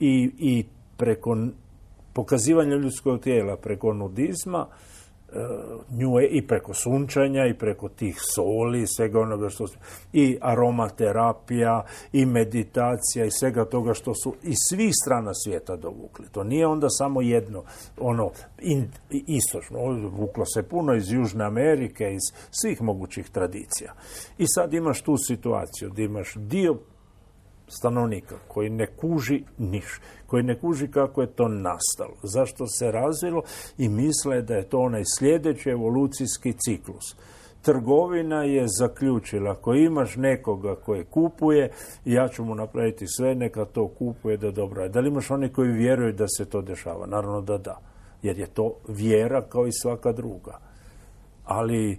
I, i preko pokazivanja ljudskog tijela, preko nudizma, Nju, i preko sunčanja i preko tih soli, svega onoga što su, i aromaterapija i meditacija i svega toga što su iz svih strana svijeta dovukli. To nije onda samo jedno, ono, in, istočno, vuklo se puno iz Južne Amerike, iz svih mogućih tradicija. I sad imaš tu situaciju gdje imaš dio stanovnika koji ne kuži niš, koji ne kuži kako je to nastalo, zašto se razvilo i misle da je to onaj sljedeći evolucijski ciklus. Trgovina je zaključila, ako imaš nekoga koji kupuje, ja ću mu napraviti sve, neka to kupuje da dobro je. Da li imaš oni koji vjeruju da se to dešava? Naravno da da, jer je to vjera kao i svaka druga. Ali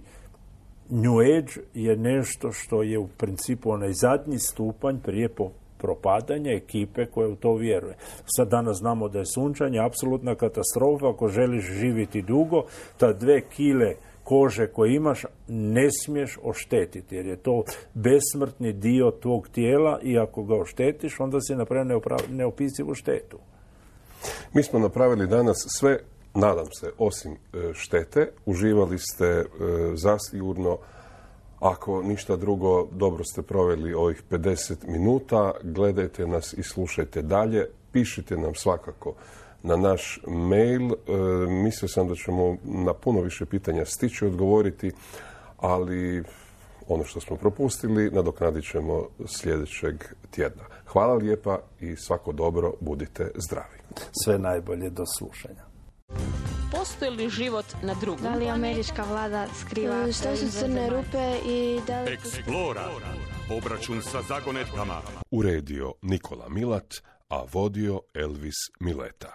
New Age je nešto što je u principu onaj zadnji stupanj prije po propadanja ekipe koja u to vjeruje. Sad danas znamo da je sunčanje apsolutna katastrofa. Ako želiš živjeti dugo, ta dve kile kože koje imaš ne smiješ oštetiti, jer je to besmrtni dio tvog tijela i ako ga oštetiš, onda si napravio neopisivu štetu. Mi smo napravili danas sve nadam se, osim štete, uživali ste zasigurno, ako ništa drugo, dobro ste proveli ovih pedeset minuta. Gledajte nas i slušajte dalje. Pišite nam svakako na naš mail. E, mislio sam da ćemo na puno više pitanja stići odgovoriti, ali ono što smo propustili nadoknadit ćemo sljedećeg tjedna. Hvala lijepa i svako dobro, budite zdravi. Sve najbolje, do slušanja. Postoji li život na drugom? Da li američka vlada skriva što su crne rupe i da li... Eksplora. Obračun sa zagonetkama. Uredio Nikola Milat, a vodio Elvis Mileta.